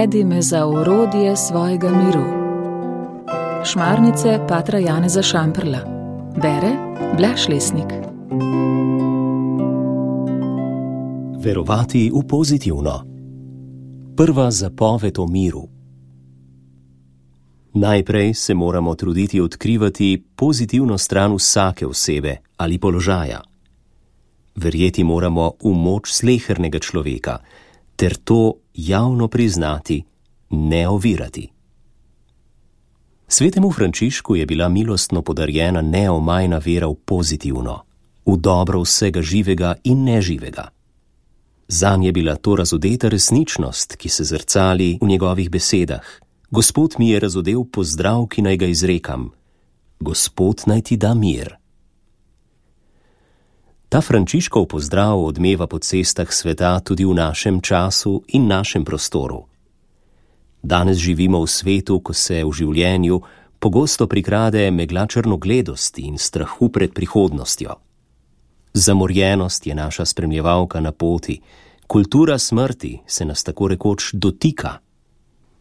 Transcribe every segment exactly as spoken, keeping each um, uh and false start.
Navedi me za orodje svojega miru. Šmarnice patra Janeza Šamprla. Bere Blaž Lesnik. Verovati v pozitivno. Prva zapoved o miru. Najprej se moramo truditi odkrivati pozitivno stran vsake osebe ali položaja. Verjeti moramo v moč slehernega človeka, ter to javno priznati, ne ovirati. Svetemu Frančišku je bila milostno podarjena neomajna vera v pozitivno, v dobro vsega živega in neživega. Zanj je bila to razodeta resničnost, ki se zrcali v njegovih besedah. Gospod mi je razodel pozdrav, ki naj ga izrekam. Gospod naj ti da mir. Ta Frančiškov pozdrav odmeva po cestah sveta tudi v našem času in našem prostoru. Danes živimo v svetu, ko se v življenju pogosto prikrade megla črnogledosti in strahu pred prihodnostjo. Zamorjenost je naša spremljevalka na poti, kultura smrti se nas tako rekoč dotika.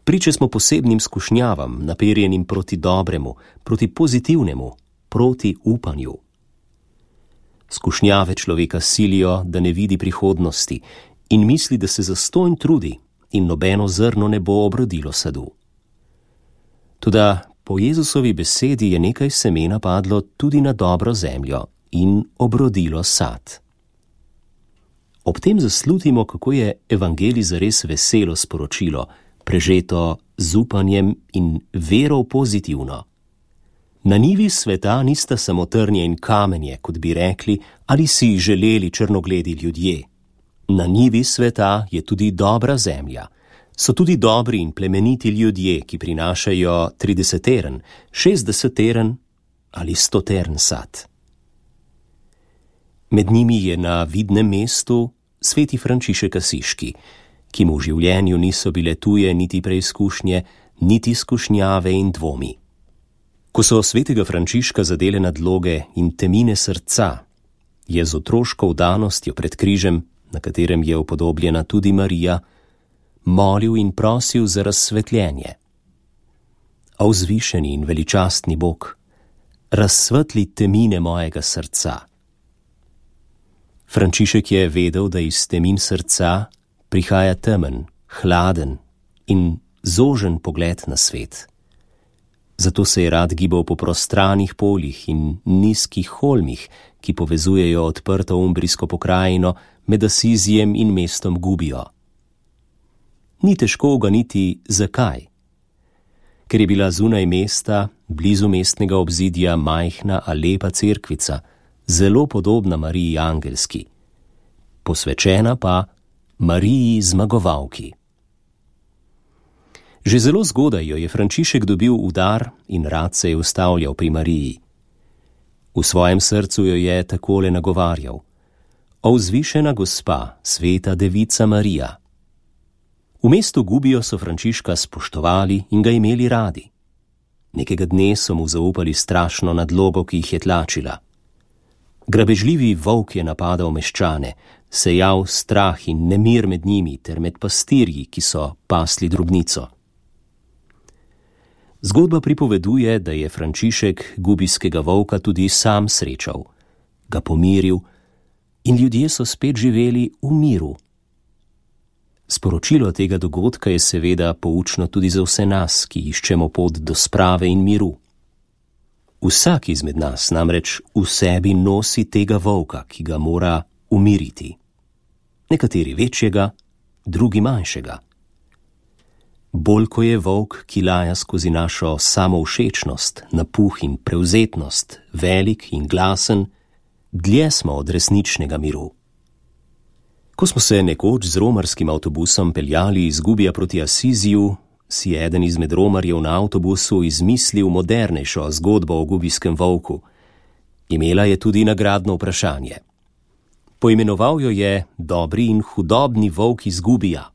Priče smo posebnim skušnjavam, naperjenim proti dobremu, proti pozitivnemu, proti upanju. Skušnjave človeka silijo, da ne vidi prihodnosti in misli, da se zastonj trudi in nobeno zrno ne bo obrodilo sadu. Toda po Jezusovi besedi je nekaj semena padlo tudi na dobro zemljo in obrodilo sad. Ob tem zaslutimo, kako je evangelij zares veselo sporočilo, prežeto z upanjem in vero pozitivno. Na njivi sveta nista samo trnje in kamenje, kot bi rekli, ali si želeli črnogledi ljudje. Na njivi sveta je tudi dobra zemlja. So tudi dobri in plemeniti ljudje, ki prinašajo trideseteren, šestdeseteren ali stoteren sad. Med njimi je na vidnem mestu sveti Frančišek Asiški, ki mu v življenju niso bile tuje niti preizkušnje, niti skušnjave in dvomi. Ko so svetega Frančiška zadele nadloge in temine srca, je z otroško vdanostjo pred križem, na katerem je upodobljena tudi Marija, molil in prosil za razsvetljenje. O vzvišeni in veličastni Bog, razsvetli temine mojega srca. Frančišek je vedel, da iz temin srca prihaja temen, hladen in zožen pogled na svet. Zato se je rad gibal po prostranih poljih in nizkih holmih, ki povezujejo odprto umbrijsko pokrajino med Asizijem in mestom Gubijo. Ni težko uganiti, zakaj. Ker je bila zunaj mesta, blizu mestnega obzidja, majhna a lepa cerkvica, zelo podobna Mariji Angelski, posvečena pa Mariji Zmagovalki. Že zelo zgodaj jo je Frančišek dobil v dar in rad se je ustavljal pri Mariji. V svojem srcu jo je takole nagovarjal: O vzvišena gospa, sveta devica Marija. V mestu Gubijo so Frančiška spoštovali in ga imeli radi. Nekega dne so mu zaupali strašno nadlogo, ki jih je tlačila. Grabežljivi volk je napadal meščane, sejal strah in nemir med njimi ter med pastirji, ki so pasli drobnico. Zgodba pripoveduje, da je Frančišek gubijskega volka tudi sam srečal, ga pomiril in ljudje so spet živeli v miru. Sporočilo tega dogodka je seveda poučno tudi za vse nas, ki iščemo pot do sprave in miru. Vsak izmed nas namreč v sebi nosi tega volka, ki ga mora umiriti. Nekateri večjega, drugi manjšega. Bolj ko je volk, ki laja skozi našo samovšečnost, napuh in prevzetnost, velik in glasen, dlje smo od resničnega miru. Ko smo se nekoč z romarskim avtobusom peljali iz Gubija proti Asiziju, si je eden izmed romarjev na avtobusu izmislil modernejšo zgodbo o gubijskem volku. Imela je tudi nagradno vprašanje. Poimenoval jo je Dobri in hudobni volk iz Gubija.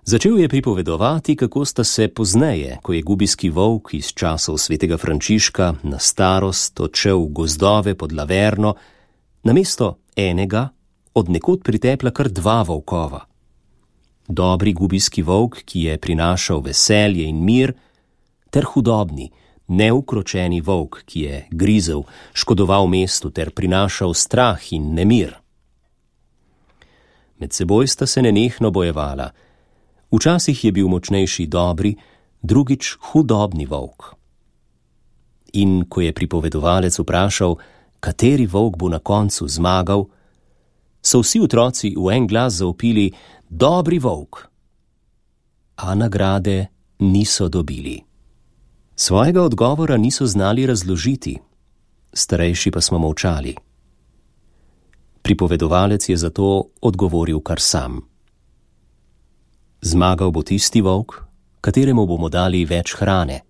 Začel je pripovedovati, kako sta se pozneje, ko je gubijski volk iz časov svetega Frančiška na starost odšel v gozdove pod Laverno, namesto enega od nekod pritepla kar dva volkova. dobri gubijski volk, ki je prinašal veselje in mir, ter hudobni, neukročeni volk, ki je grizel, škodoval mestu ter prinašal strah in nemir. Med seboj sta se nenehno bojevala. Včasih je bil močnejši dobri, drugič hudobni volk. In ko je pripovedovalec vprašal, kateri volk bo na koncu zmagal, so vsi otroci v en glas zavpili: dobri volk. A nagrade niso dobili. Svojega odgovora niso znali razložiti, starejši pa smo molčali. Pripovedovalec je zato odgovoril kar sam. Zmagal bo tisti volk, kateremu bomo dali več hrane.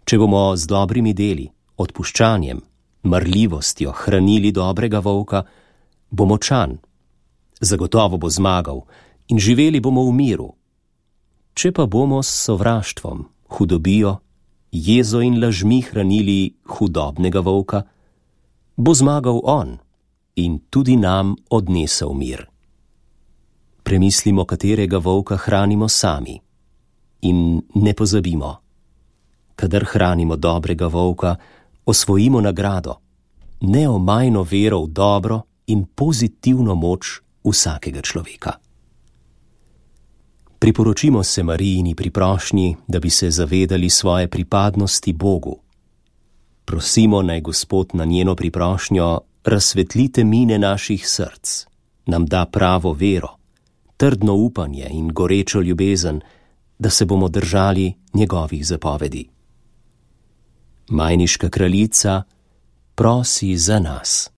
Če bomo z dobrimi deli, odpuščanjem, marljivostjo hranili dobrega volka, bo močan, zagotovo bo zmagal in živeli bomo v miru. Če pa bomo s sovraštvom, hudobijo, jezo in lažmi hranili hudobnega volka, bo zmagal on in tudi nam odnesel mir. Premislimo, katerega volka hranimo sami, in ne pozabimo, kadar hranimo dobrega volka, osvojimo nagrado, neomajno vero v dobro in pozitivno moč vsakega človeka. Priporočimo se Marijini pri prošnji, da bi se zavedali svoje pripadnosti Bogu. Prosimo, naj Gospod na njeno priprošnjo razsvetli temine naših src, nam da pravo vero, trdno upanje in gorečo ljubezen, da se bomo držali njegovih zapovedi. Majniška kraljica prosi za nas.